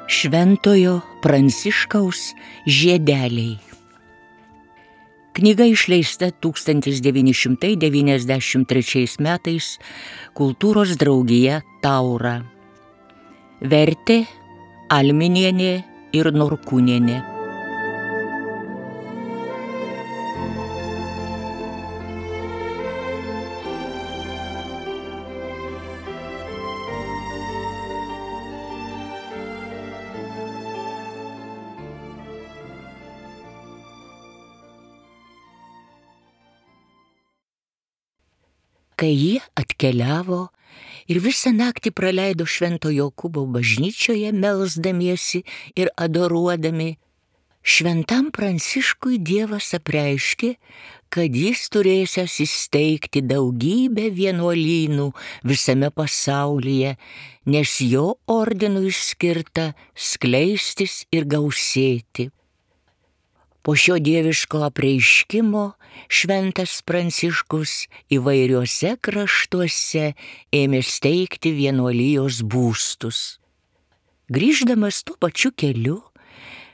Šventojo Pranciškaus žiedeliai. Knyga išleista 1993 metais Kultūros draugija Taura. Vertė Alminienė ir Norkūnienė. Kai jie atkeliavo ir visą naktį praleido Švento Jokūbo bažnyčioje melsdamiesi ir adoruodami, Šventam Pranciškui Dievas apreiškė, kad jis turėsiąs įsteigti daugybę vienuolynų visame pasaulyje, nes jo ordinui skirta skleistis ir gausėti. Po šio dieviško apreiškimo Šventas Pranciškus įvairiuose kraštuose ėmė steigti vienuolijos būstus. Grįždamas tuo pačiu keliu,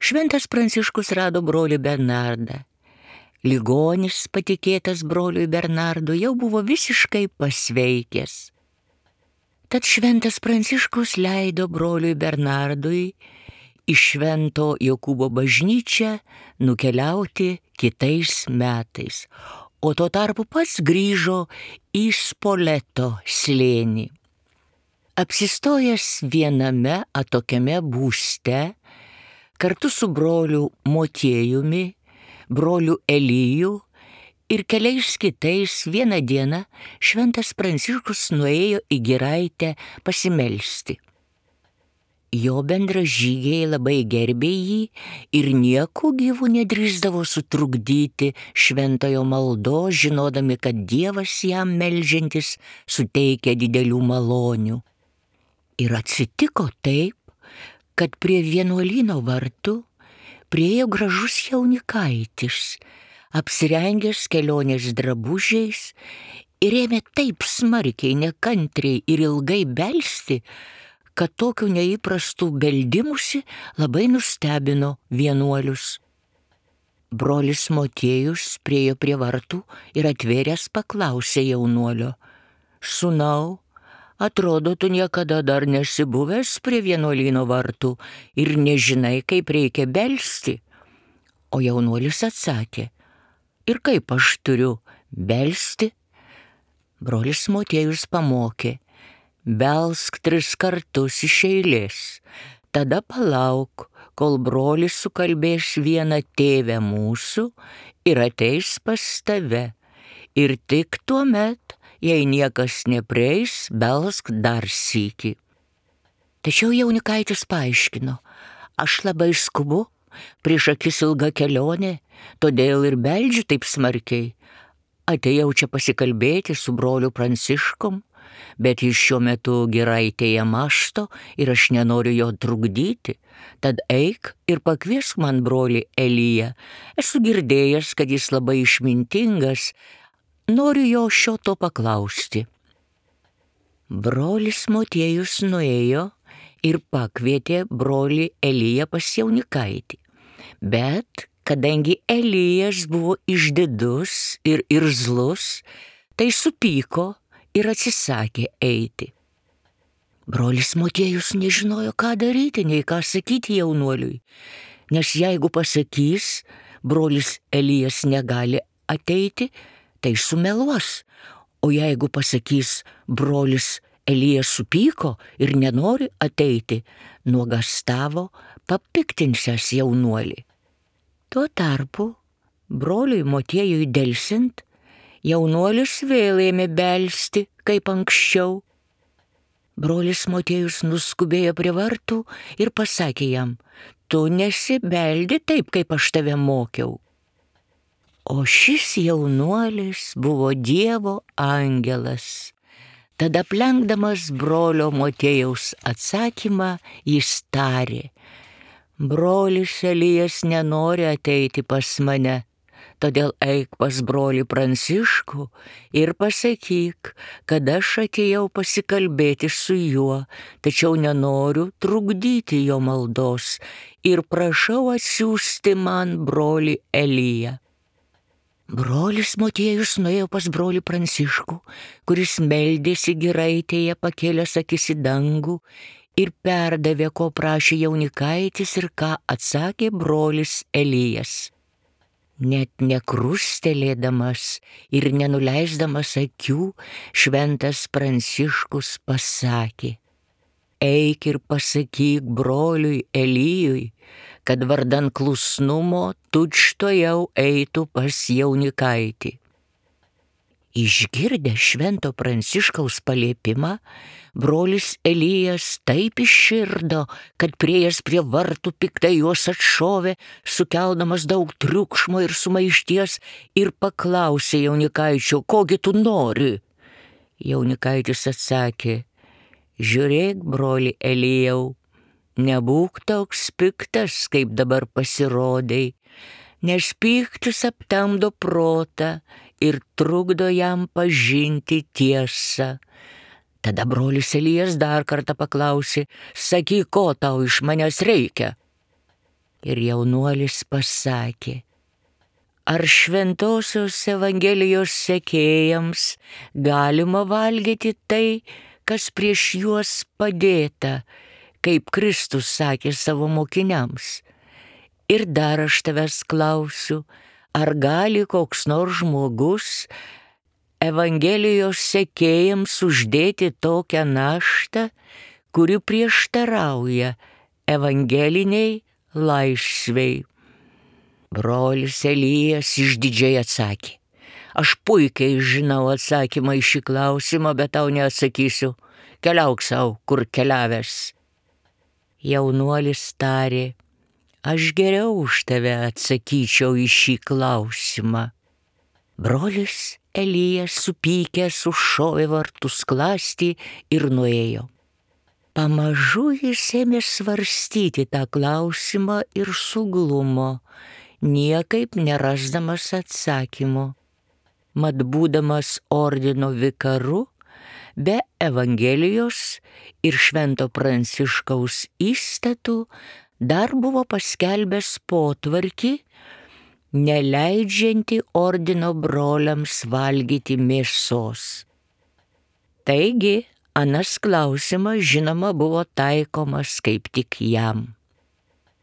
Šventas Pranciškus rado brolį Bernardą. Ligonis, patikėtas broliui Bernardui, jau buvo visiškai pasveikęs. Tad Šventas Pranciškus leido broliui Bernardui į Švento Jokūbo bažnyčią nukeliauti kitais metais, o tuo tarpu pats grįžo į Spoleto slėnį. Apsistojęs viename atokiame būste, kartu su broliu Motiejumi, broliu Eliju ir keliais kitais vieną dieną Šventas Pranciškus nuėjo į giraitę pasimelsti. Jo bendražygiai labai gerbė jį ir nieku gyvu nedrįsdavo sutrukdyti šventojo maldos, žinodami, kad Dievas jam meldžiantis suteikia didelių malonių. Ir atsitiko taip, kad prie vienuolyno vartų priėjo gražus jaunikaitis, apsirengęs kelionės drabužiais ir ėmė taip smarkiai, nekantriai ir ilgai belsti, kad tokių neįprastų beldimusi labai nustebino vienuolius. Brolis Motiejus priėjo prie vartų ir atvėręs paklausė jaunuolio: "Sūnau, atrodo, tu niekada dar nesi buvęs prie vienuolyno vartų ir nežinai, kaip reikia belsti." O jaunuolis atsakė: "Ir kaip aš turiu belsti?" Brolis Motiejus pamokė: "Belsk 3 kartus iš eilės, tada palauk, kol brolis sukalbės vieną Tėve mūsų ir ateis pas tave. Ir tik tuomet, jei niekas neprieis, belsk dar sykį." Tačiau jaunikaitis paaiškino: "Aš labai skubu, prieš akis ilga kelionė, todėl ir beldžiu taip smarkiai. Atėjau čia pasikalbėti su broliu Pranciškum, bet jis šiuo metu giraitėje mąsto ir aš nenoriu jo trukdyti, tad eik ir pakviesk man brolį Eliją. Esu girdėjęs, kad jis labai išmintingas, noriu jo šio to paklausti." Brolis Motiejus nuėjo ir pakvietė brolį Eliją pas jaunikaitį, bet kadangi Elijas buvo išdidus ir irzlus, tai supyko ir atsisakė eiti. Brolis Motiejus nežinojo, ką daryti, nei ką sakyti jaunuoliui, nes jeigu pasakys, brolis Elijas negali ateiti, tai sumeluos, o jeigu pasakys, brolis Elijas supyko ir nenori ateiti, nuogąstavo papiktinsiąs jaunuolį. Tuo tarpu broliui Motiejui delsiant, jaunuolis vėl ėmė belsti, kaip anksčiau. Brolis Motiejus nuskubėjo prie vartų ir pasakė jam: "Tu nesibeldi taip, kaip aš tave mokiau." O šis jaunuolis buvo Dievo angelas. Tada aplenkdamas brolio Motiejaus atsakymą, jis tarė: "Brolis Elijas nenori ateiti pas mane, Todėl eik pas brolį Pranciškų ir pasakyk, kad aš atėjau pasikalbėti su juo, tačiau nenoriu trukdyti jo maldos ir prašau atsiųsti man brolį Eliją. Brolis Motiejus nuėjo pas brolį Pranciškų, kuris meldėsi giraitėje pakėlęs akis į dangų ir perdavė, ko prašė jaunikaitis ir ką atsakė brolis Elijas. Net nekrustelėdamas ir nenuleisdamas akių, šventas Pranciškus pasakė: eik ir pasakyk broliui Elijui, kad vardan klusnumo tučtuojau eitų pas jaunikaitį. Išgirdęs švento Pranciškaus paliepimą, brolis Elijas taip išširdo, kad priėjęs prie vartų piktai juos atšovė, sukeldamas daug triukšmo ir sumaišties, ir paklausė jaunikaičio: kogi tu nori? Jaunikaitis atsakė: žiūrėk, broli Elijau, nebūk toks piktas, kaip dabar pasirodai, nes pyktis aptemdo protą ir trukdo jam pažinti tiesą. Tada brolis Elijas dar kartą paklausė: sakyk, ko tau iš manęs reikia? Ir jaunuolis pasakė: ar šventosios Evangelijos sekėjams galima valgyti tai, kas prieš juos padėta, kaip Kristus sakė savo mokiniams? Ir dar aš tavęs klausiu, ar gali koks nors žmogus Evangelijos sekėjams uždėti tokią naštą, kuri prieštarauja evangeliniai laisvei? Brolis Elijas išdidžiai atsakė: aš puikiai žinau atsakymą į šį klausimą, bet tau neatsakysiu. Keliauk sau, kur keliavęs. Jaunuolis tarė: aš geriau už tave atsakyčiau į šį klausimą. Brolis Elijas supykęs užšovė vartų skląstį ir nuėjo. Pamažu jis ėmė svarstyti tą klausimą ir suglumo, niekaip nerasdamas atsakymo. Mat būdamas ordino vikaru, be Evangelijos ir švento Pranciškaus įstatų, dar buvo paskelbęs potvarkį, neleidžianti ordino broliams valgyti mėsos. Taigi, anas klausimas, žinoma, buvo taikomas kaip tik jam.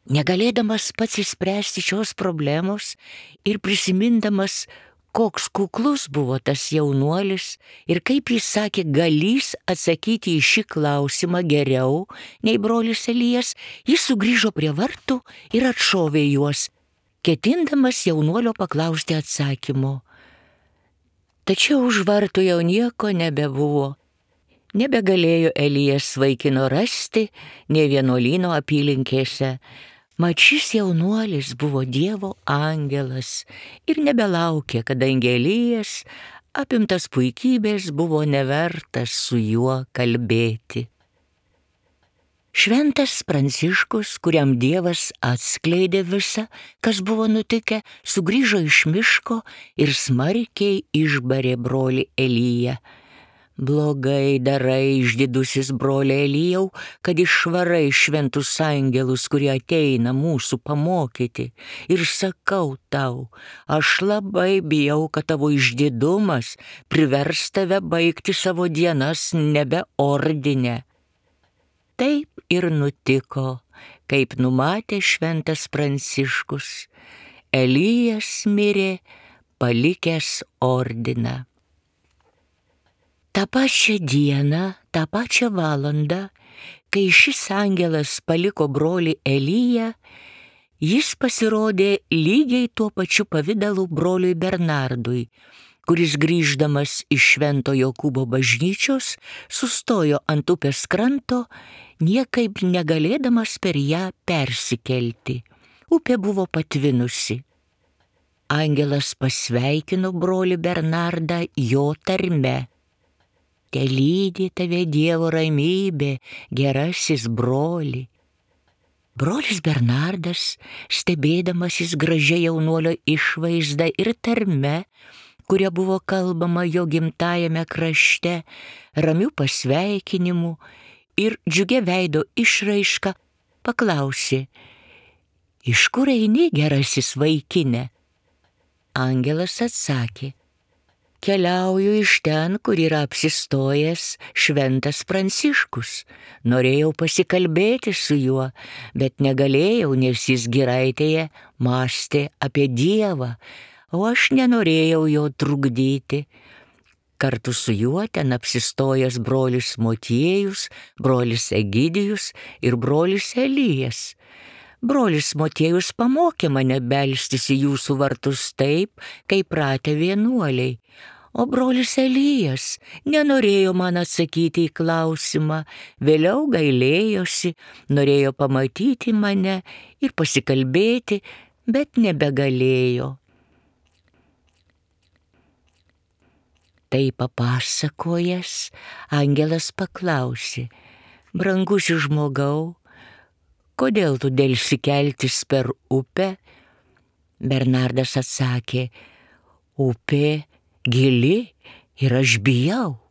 Negalėdamas pats išspręsti šios problemos ir prisimindamas, koks kuklus buvo tas jaunuolis ir kaip jis sakė galys atsakyti į šį klausimą geriau nei brolis Elijas, jis sugrįžo prie vartų ir atšovė juos, ketindamas jaunuolio paklausti atsakymo. Tačiau už vartų jau nieko nebebuvo. Nebegalėjo Elijas vaikino rasti nė vienuolyno apylinkėse. Mat šis jaunuolis buvo Dievo angelas ir nebelaukė, kadangi Elijas, apimtas puikybės, buvo nevertas su juo kalbėti. Šventas Pranciškus, kuriam Dievas atskleidė visą, kas buvo nutikę, sugrįžo iš miško ir smarkiai išbarė brolį Eliją. Blogai darai, išdidusis broli Elijau, kad išvarai šventus angelus, kurie ateina mūsų pamokyti. Ir sakau tau, aš labai bijau, kad tavo išdidumas privers tave baigti savo dienas nebe ordine. Taip ir nutiko, kaip numatė šventas Pranciškus. Elijas mirė, palikęs ordiną. Ta pačią dieną, tą pačią valandą, kai šis angelas paliko brolį Eliją, jis pasirodė lygiai tuo pačiu pavidalu broliui Bernardui, kuris grįždamas iš Švento Jokūbo bažnyčios sustojo ant upės kranto, niekaip negalėdamas per ją persikelti. Upė buvo patvinusi. Angelas pasveikino brolį Bernardą jo tarme. Telydi tave Dievo ramybė, gerasis broli. Brolis Bernardas, stebėdamasis gražia jaunuolio išvaizda ir tarme, kuria buvo kalbama jo gimtajame krašte, ramių pasveikinimų ir džiugia veido išraiška, paklausė: iš kur eini, gerasis vaikine? Angelas atsakė: keliauju iš ten, kur yra apsistojęs šventas Pranciškus. Norėjau pasikalbėti su juo, bet negalėjau, nes jis giraitėje mąstė apie Dievą, o aš nenorėjau jo trukdyti. Kartu su juo ten apsistojęs brolis Motiejus, brolis Egidijus ir brolis Elijas. Brolis Motiejus pamokė mane belstis į jūsų vartus taip, kaip pratę vienuoliai. O brolis Elijas nenorėjo man atsakyti į klausimą, vėliau gailėjosi, norėjo pamatyti mane ir pasikalbėti, bet nebegalėjo. Tai papasakojęs, angelas paklausė: brangusis žmogau, kodėl tu delsi keltis per upę? Bernardas atsakė: upė gili ir aš bijau.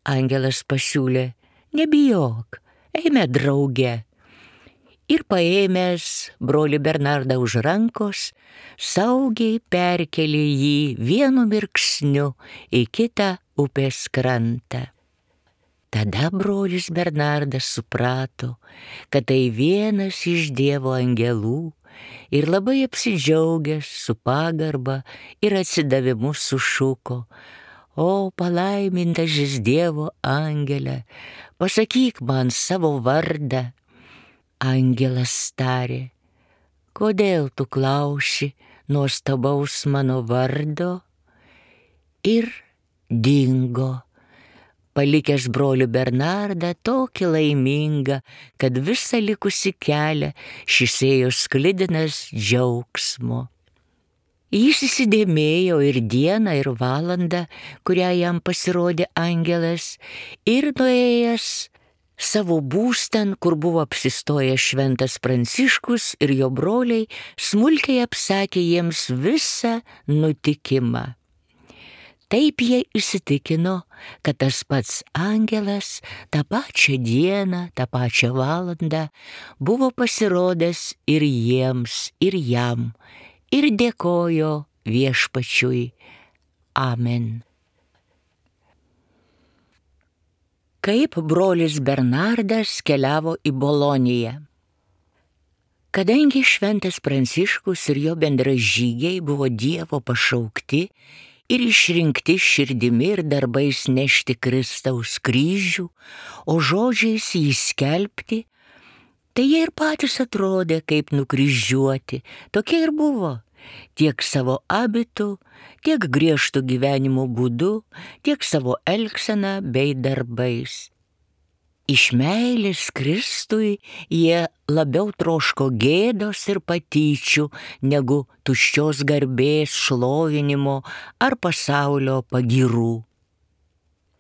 Angelas pasiūlė: nebijok, eime drauge. Ir paėmęs brolį Bernardą už rankos, saugiai perkelė jį vienu mirksniu į kitą upės krantą. Tada brolis Bernardas suprato, kad tai vienas iš Dievo angelų, ir labai apsidžiaugęs su pagarba ir atsidavimu sušuko: o palaimintasis Dievo angele, pasakyk man savo vardą. Angelas tarė: kodėl tu klausi nuostabaus mano vardo? Ir dingo, palikęs brolių Bernardą tokį laimingą, kad visą likusį kelią šis ėjo sklidinas džiaugsmo. Jis įsidėmėjo ir dieną, ir valandą, kurią jam pasirodė angelas, ir nuėjęs savo būstan, kur buvo apsistojęs šventas Pranciškus ir jo broliai, smulkiai apsakė jiems visą nutikimą. Taip jie įsitikino, kad tas pats angelas tą pačią dieną, tą pačią valandą buvo pasirodęs ir jiems, ir jam, ir dėkojo Viešpačiui. Amen. Kaip brolis Bernardas keliavo į Boloniją. Kadangi šventas Pranciškus ir jo bendražygiai buvo Dievo pašaukti ir išrinkti širdimi ir darbais nešti Kristaus kryžių, o žodžiais jį skelbti, tai jie ir patys atrodė kaip nukryžiuoti, tokie ir buvo, tiek savo abitu, tiek griežtų gyvenimo būdu, tiek savo elgsena bei darbais. Iš meilės Kristui jie labiau troško gėdos ir patyčių, negu tuščios garbės, šlovinimo ar pasaulio pagyrų.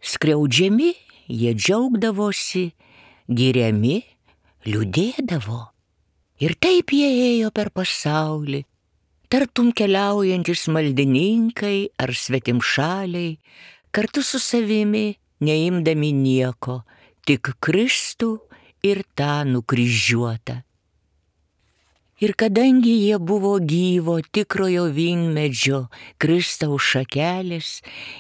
Skriaudžiami jie džiaugdavosi, giriami liūdėdavo. Ir taip jie ėjo per pasaulį, tartum keliaujantis maldininkai ar svetimšaliai, kartu su savimi neimdami nieko, tik Kristų ir tą nukryžiuotą. Ir kadangi jie buvo gyvo tikrojo vynmedžio Kristaus šakelės,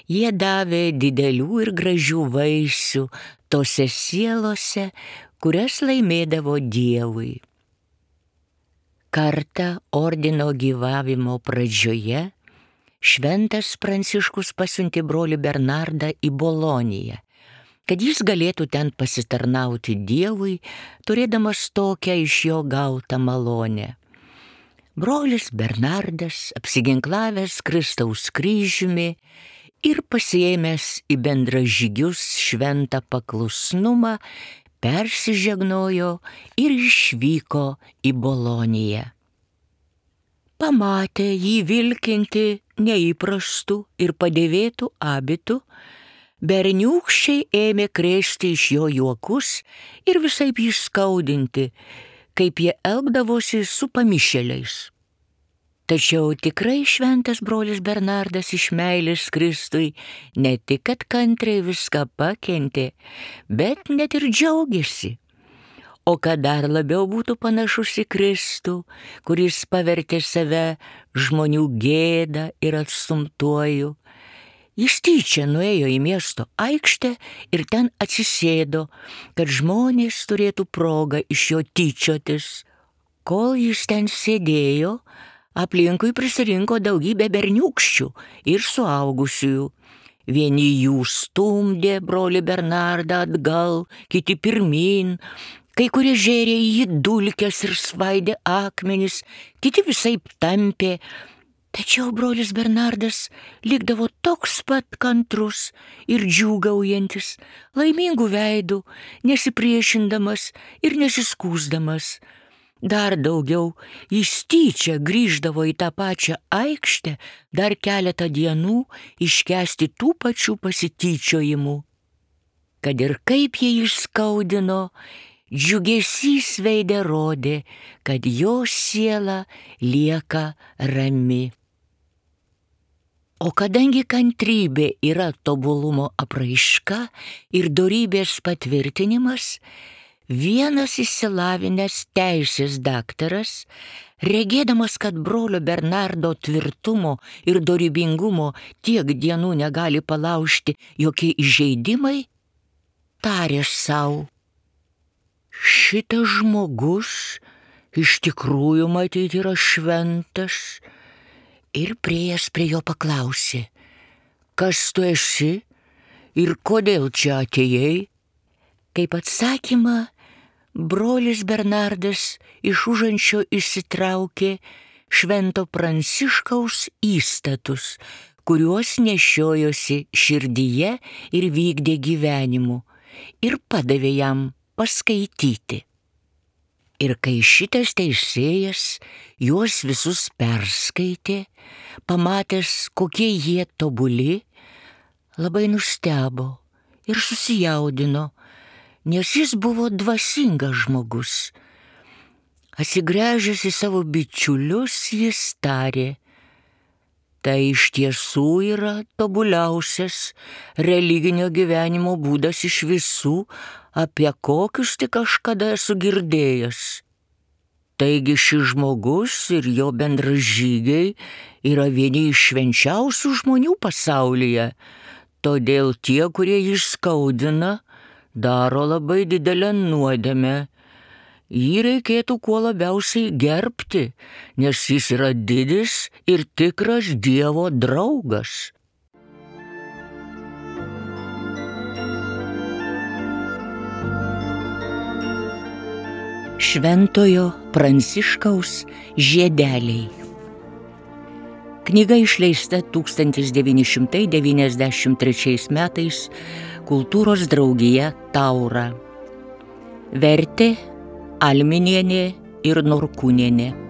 jie davė didelių ir gražių vaisių tose sielose, kurias laimėdavo Dievui. Kartą ordino gyvavimo pradžioje šventas Pranciškus pasiuntė brolį Bernardą į Boloniją, kad jis galėtų ten pasitarnauti Dievui, turėdamas tokią iš jo gautą malonę. Brolis Bernardas, apsiginklavęs Kristaus kryžiumi ir pasiėmęs į bendražygius šventą paklusnumą, persižegnojo ir išvyko į Boloniją. Pamatė jį vilkinti neįprastų ir padėvėtų abitų, berniūkščiai ėmė krėsti iš jo juokus ir visaip jį skaudinti, kaip jie elgdavosi su pamišėliais. Tačiau tikrai šventas brolis Bernardas iš meilės Kristui ne tik kad kantriai viską pakentė, bet net ir džiaugiasi. O kad dar labiau būtų panašus į Kristų, kuris pavertė save žmonių gėdą ir atstumtuoju, jis tyčia nuėjo į miesto aikštę ir ten atsisėdo, kad žmonės turėtų progą iš jo tyčiotis. Kol jis ten sėdėjo, aplinkui prisirinko daugybė berniūkščių ir suaugusiųjų. Vieni jų stumdė brolį Bernardą atgal, kiti pirmyn, kai kurie žėrė į jį dulkes ir svaidė akmenis, kiti visaip tampė. Tačiau brolis Bernardas likdavo toks pat kantrus ir džiūgaujantis, laimingų veidų, nesipriešindamas ir nesiskųsdamas. Dar daugiau, jis tyčia grįždavo į tą pačią aikštę dar keletą dienų iškęsti tų pačių pasityčiojimų. Kad ir kaip jie išskaudino, džiugesys veide rodė, kad jo siela lieka rami. O kadangi kantrybė yra tobulumo apraiška ir dorybės patvirtinimas, vienas išsilavinęs teisės daktaras, regėdamas, kad brolio Bernardo tvirtumo ir dorybingumo tiek dienų negali palaužti jokie įžeidimai, tarė sau: šitas žmogus iš tikrųjų matyt yra šventas, ir priėjęs prie jo paklausė: kas tu esi ir kodėl čia atėjai? Kaip atsakymą, brolis Bernardas iš užančio išsitraukė švento Pranciškaus įstatus, kuriuos nešiojosi širdyje ir vykdė gyvenimu, ir padavė jam paskaityti. Ir kai šitas teisėjas juos visus perskaitė, pamatęs, kokie jie tobuli, labai nustebo ir susijaudino, nes jis buvo dvasingas žmogus. Atsigręžęs į savo bičiulius, jis tarė: tai iš tiesų yra tobuliausias religinio gyvenimo būdas iš visų, apie kokius tik kažkada esu girdėjęs. Taigi šis žmogus ir jo bendražygiai yra vieni iš švenčiausių žmonių pasaulyje, todėl tie, kurie jį skaudina, daro labai didelę nuodėmę. Jį reikėtų kuo labiausiai gerbti, nes jis yra didis ir tikras Dievo draugas. Šventojo Pranciškaus žiedeliai. Knyga išleista 1993 metais Kultūros draugija Taura. Vertė Alminienė ir Norkūnienė.